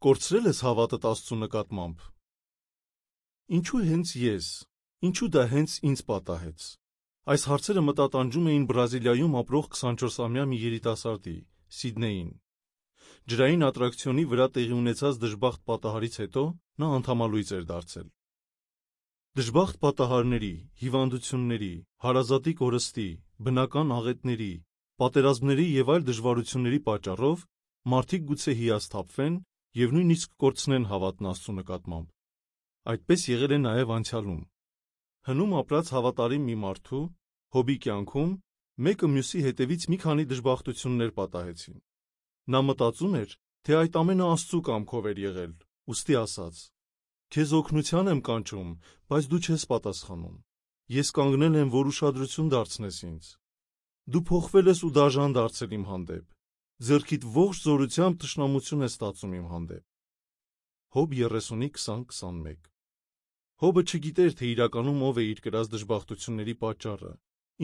Կորցրել ես հավատդ Աստծու նկատմամբ։ Ինչու հենց ես, ինչու դա հենց ինձ պատահեց։ Այս հարցերը մտատանջում էին Բրազիլիայում ապրող 24-ամյա մի երիտասարդի՝ Սիդնեյին։ Ջրային ատրակցիոնի վրա տեղի ունեցած դժբախտ պատահարից հետո նա անդամալույծ էր դարձել։ Դժբախտ պատահարների, հիվանդությունների, հարազատի կորստի, բնական աղետների, պատերազմների և այլ դժվարությունների պատճառով մարդիկ գուցե հիասթափվեն և նույնիսկ կորցնեն հավատն Աստծու նկատմամբ։ Այդպես եղել է նաև անցյալում։ Հնում ապրած հավատարիմ մի մարդու, Հոբի կյանքում մեկը մյուսի հետևից մի քանի դժբախտություններ պատահեցին։ Նա մտածում էր, թե այդ ամենը Աստծու կամքով էր եղել, ուստի ասաց. «Քեզ օգնության եմ կանչում, բայց դու չես պատասխանում։ Ես կանգնել եմ, որ ուշադրություն դարձնես ինձ։ Դու փոխվել ես ու դաժան դարձել իմ հանդեպ։ Ձեռքիդ ողջ զորությամբ թշնամություն ես ստացում իմ հանդեպ»։ Հոբ 30:20-21 Հոբը չգիտեր, թե իրականում ով է իր կրած դժբախտությունների պատճառը,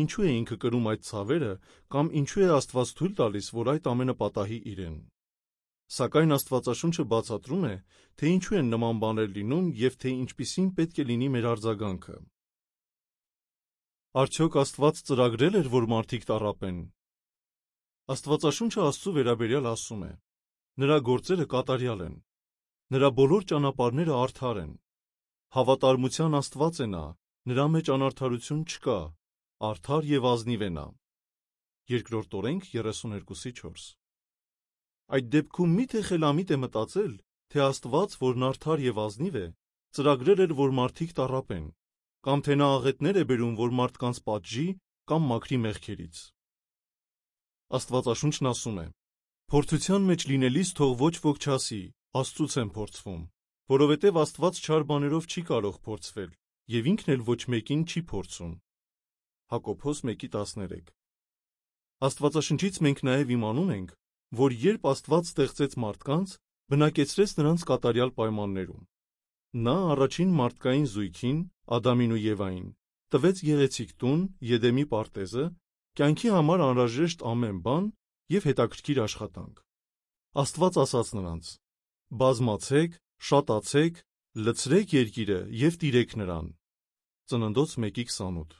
ինչու է ինքը կրում այդ ցավերը կամ ինչու է Աստված թույլ տալիս, որ այդ ամենը պատահի իրեն։ Սակայն Աստվածաշունչը բացատրում է, թե ինչու են նման բաներ լինում և թե ինչպիսին պետք է լինի մեր արձագանքը։ Արդյոք Աստված ծրագրել էր, որ մարդիկ տառապեն։ Աստվածաշունչը Աստծու վերաբերյալ ասում է. «Նրա գործերը կատարյալ են, նրա բոլոր ճանապարհները արդար են։ Հավատարմության Աստված է նա, նրա մեջ անարդարություն չկա, արդար և ազնիվ է նա»։ Բ Օրենք 32:4 Այդ դեպքում մի՞թե խելամիտ է մտածել, թե Աստված, որն արդար և ազնիվ է, ծրագրել էր, որ մարդիկ տառապեն, կամ թե նա աղետներ է բերում, որ մարդկանց պատժի կամ մաքրի մեղքերից։ Աստվածաշունչն ասում է. «Փորձության մեջ լինելիս թող ոչ ոք չասի. Աստծուց եմ փորձվում, որովհետև Աստված չար բաներով չի կարող փորձվել, և ինքն էլ ոչ մեկին չի փորձում»։ Հակոբոս 1:13 Աստվածաշնչից մենք նաև իմանում ենք, որ երբ Աստված ստեղծեց մարդկանց, բնակեցրեց նրանց կատարյալ պայմաններում։ Նա առաջին մարդկային զույգին՝ Ադամին ու Եվային, տվեց գեղեցիկ տուն՝ Եդեմի պարտեզը, կյանքի համար անհրաժեշտ ամեն բան և հետաքրքիր աշխատանք։ Աստված ասաց նրանց. «Բազմացեք, շատացեք, լցրեք երկիրը և տիրեք նրան»։ Ծննդոց 1:28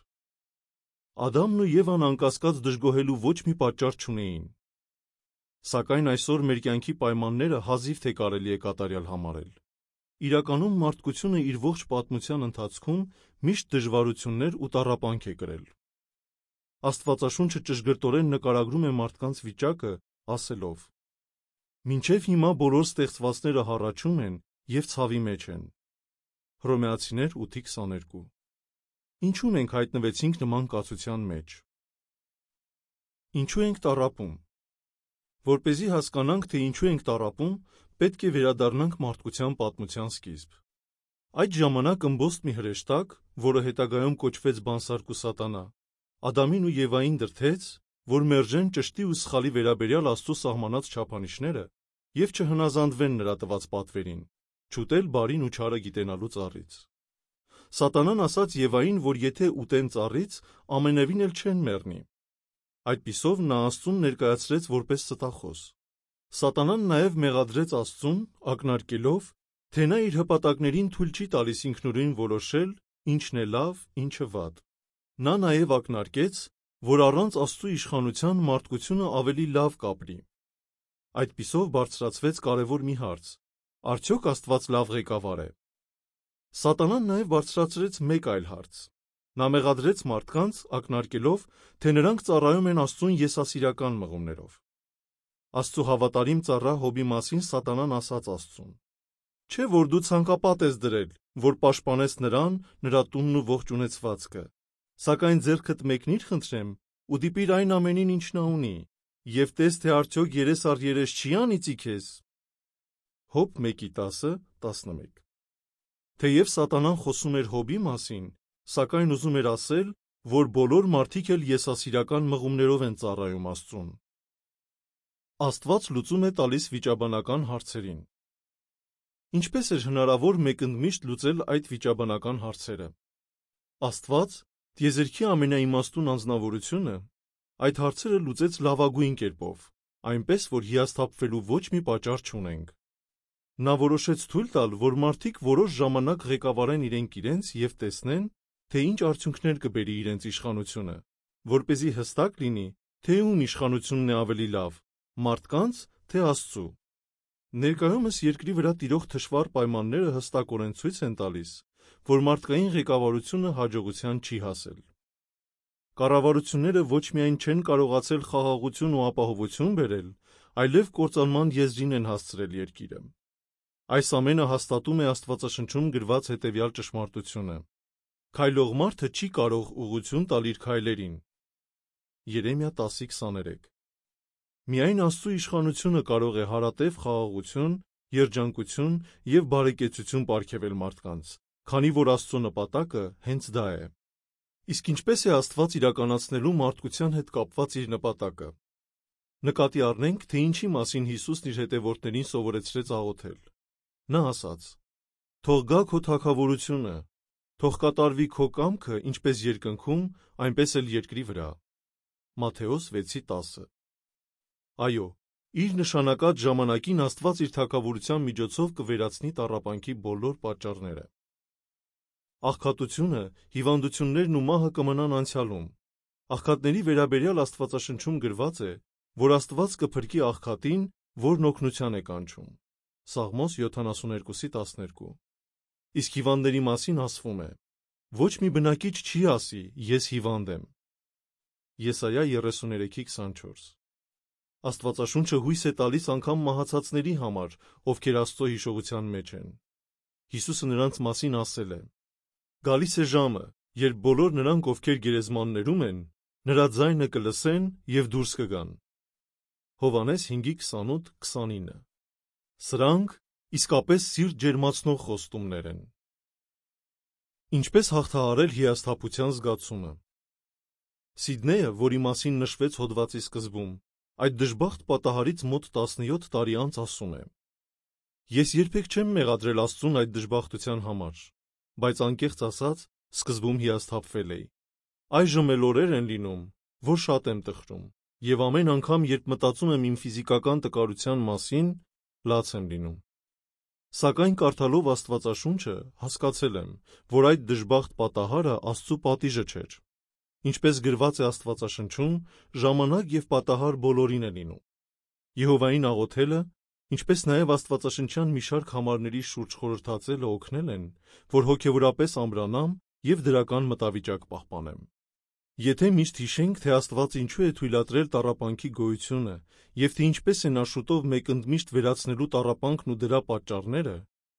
Ադամն ու Եվան անկասկած դժգոհելու ոչ մի պատճառ չունեին։ Սակայն այսօր մեր կյանքի պայմանները հազիվ թե կարելի է կատարյալ համարել։ Իրականում մարդկությունը իր ողջ պատմության ընթացքում միշտ դժվարություններ ու տառապանք է կրել։ Աստվածաշունչը ճշգրտորեն նկարագրում է մարդկանց վիճակը, ասելով. «Մինչև հիմա բոլոր ստեղծվածները հառաչում են և ցավի մեջ են»։ Հռոմեացիներ 8:22 Ինչու մենք հայտնվեցինք նման կացության մեջ։ Ինչու ենք տառապում։ Որպեսզի հասկանանք, թե ինչու ենք տառապում, պետք է վերադառնանք մարդկության պատմության սկիզբ։ Այդ ժամանակ ըմբոստ մի հրեշտակ, որը հետագայում կոչվեց Բանսարգ ու Սատանա, Ադամին ու Եվային դրդեց, որ մերժեն ճշտի ու սխալի վերաբերյալ Աստծու սահմանած չափանիշները և չհնազանդվեն նրա տված պատվերին՝ չուտել բարին ու չարը գիտենալու ծառից։ Սատանան ասաց Եվային, որ եթե ուտեն ծառից, ամենևին էլ չեն մեռնի։ Այդպիսով նա Աստծուն ներկայացրեց որպես ստախոս։ Սատանան նաև մեղադրեց Աստծուն, ակնարկելով, թե նա իր հպատակներին թույլ չի տալիս ինքնուրույն որոշել ինչն է լավ, ինչը վատ։ Նա նաև ակնարկեց, որ առանց Աստծու իշխանության մարդկությունը ավելի լավ կապրի։ Այդպիսով բարձրացվեց կարևոր մի հարց. արդյոք Աստված լավ ղեկավար է։ Սատանան նաև բարձրացրեց մեկ այլ հարց. նա մեղադրեց մարդկանց, ակնարկելով, թե նրանք ծառայում են Աստծուն եսասիրական մղումներով։ Աստծու հավատարիմ ծառա Հոբի մասին Սատանան ասաց Աստծուն. «Չէ՞ որ դու ցանկապատ ես դրել, որ պաշտպանես նրան, նրա տունն ու ողջ ունեցվածքը, սակայն ձեռքդ մեկնի՞ր խնդրեմ ու դիպիր այն ամենին, ինչ նա ունի, և տես, թե արդյոք երես առ երես չի՞ անիծի քեզ»։ Հոբ 1:10-11 Թեև Սատանան խոսում էր Հոբի մասին, սակայն ուզում էր ասել, որ բոլոր մարդիկ էլ եսասիրական մղումներով են ծառայում Աստծուն։ Աստված լուծում է տալիս վիճաբանական հարցերին։ Ինչպե՞ս էր հնարավոր մեկընդմիշտ լուծել այդ վիճաբանական հարցերը։ Աստված, տիեզերքի ամենաիմաստուն անձնավորությունը, այդ հարցերը լուծեց լավագույն կերպով, այնպես, որ հիասթափվելու ոչ մի պատճառ չունենք։ Նա որոշեց թույլ տալ, որ մարդիկ որոշ ժամանակ ղեկավարեն իրենք և տեսնեն, թե ինչ արդյունքներ կբերի իրենց իշխանությունը, որպեսզի հստակ լինի, թե ում իշխանությունն է ավելի լավ, մարդկանց, թե Աստծու։ Ներկայումս երկրի վրա տիրող թշվառ պայմանները հստակորեն ցույց են տալիս, որ մարդկային ղեկավարությունը հաջողության չի հասել։ Կառավարությունները ոչ միայն չեն կարողացել խաղաղություն ու ապահովություն բերել, այլև կործանման եզրին են հասցրել երկիրը։ Այս ամենը հաստատում է Աստվածաշնչում գրված հետևյալ ճշմարտությունը. քայլող մարդը չի կարող ուղղություն տալ իր քայլերին։ Երեմիա 10:23։ Միայն Աստծու իշխանությունը կարող է հարատև խաղաղություն, երջանկություն և բարեկեցություն պարգևել մարդկանց, քանի որ Աստծո նպատակը հենց դա է։ Իսկ ինչպե՞ս է Աստված իրականացնելու մարդկության հետ կապված իր նպատակը։ Նկատի առնենք, թե ինչի մասին Հիսուսն իր հետևորդներին սովորեցրեց աղոթել։ Նա ասաց. «Թող գա քո թագավորությունը, թող կատարվի քո կամքը ինչպես երկնքում, այնպես էլ երկրի վրա»։ Մատթեոս 6:10։ Այո, իր նշանակած ժամանակին Աստված իր թագավորության միջոցով կվերացնի տառապանքի բոլոր պատճառները։ Աղքատությունը, հիվանդություններն ու մահը կմնան անցյալում։ Աղքատների վերաբերյալ Աստվածաշնչում գրված է, որ Աստված կփրկի աղքատին, որն օգնության է կանչում։ Սաղմոս 72:12։ Իսկ հիվանդների մասին ասվում է. «Ոչ մի բնակիչ չի ասի, ես հիվանդ եմ»։ Եսայիա 33:24։ Աստվածաշունչը հույս է տալիս անգամ մահացածների համար, ովքեր Աստծո հիշողության մեջ են։ Հիսուսը նրանց մասին ասել է. «Գալիս է ժամը, երբ բոլոր նրանք, ովքեր գերեզմաններում են, նրա ձայնը կլսեն և դուրս կգան»։ Հովհաննես 5:28-29։ Սրանք իսկապես սիրտ ջերմացնող խոստումներ են։ Ինչպես հաղթահարել հիասթափության զգացումը։ Սիդնեյը, որի մասին նշվեց հոդվածի սկզբում, այդ դժբախտ պատահարից մոտ 17 տարի անց ասում է. «Ես երբեք չեմ մեղադրել Աստծուն այդ դժբախտության համար, բայց անկեղծ ասած, սկզբում հիասթափվել էի։ Այժմ էլ օրեր են լինում, որ շատ եմ տխրում, և ամեն անգամ, երբ մտածում եմ իմ ֆիզիկական տկարության մասին, լաց եմ լինում։ Սակայն կարդալով Աստվածաշունչը, հասկացել եմ, որ այդ դժբախտ պատահարը Աստծու պատիժը չէր։ Ինչպես գրված է Աստվածաշնչում, ժամանակ և պատահար բոլորին է լինում։ Եհովային աղոթելը, ինչպես նաև աստվածաշնչյան մի շարք համարների շուրջ խորհրդածելը օգնել են, որ հոգևորապես ամրանամ և դրական մտավիճակ պահպանեմ։ Եթե միշտ հիշենք, թե Աստված ինչու է թույլատրել տառապանքի գոյությունը և թե ինչպես է նա շուտով մեկընդմիշտ վերացնելու տառապանքն ու դրա պատճառները,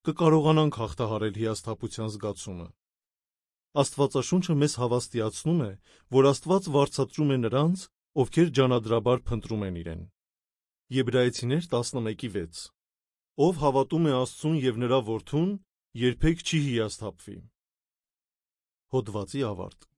կկարողանանք հաղթահարել հիասթափության զգացումը։ Աստվածաշունչը մեզ հավաստիացնում է, որ Աստված վարձատրում է նրանց, ովքեր ջանադրաբար փնտրում են իրեն։ Եբրայեցիներ 11:6։ Ով հավատում է Աստծուն և նրա Որդուն, երբեք չի հիասթափվի։ Հոդվացի ավարտ։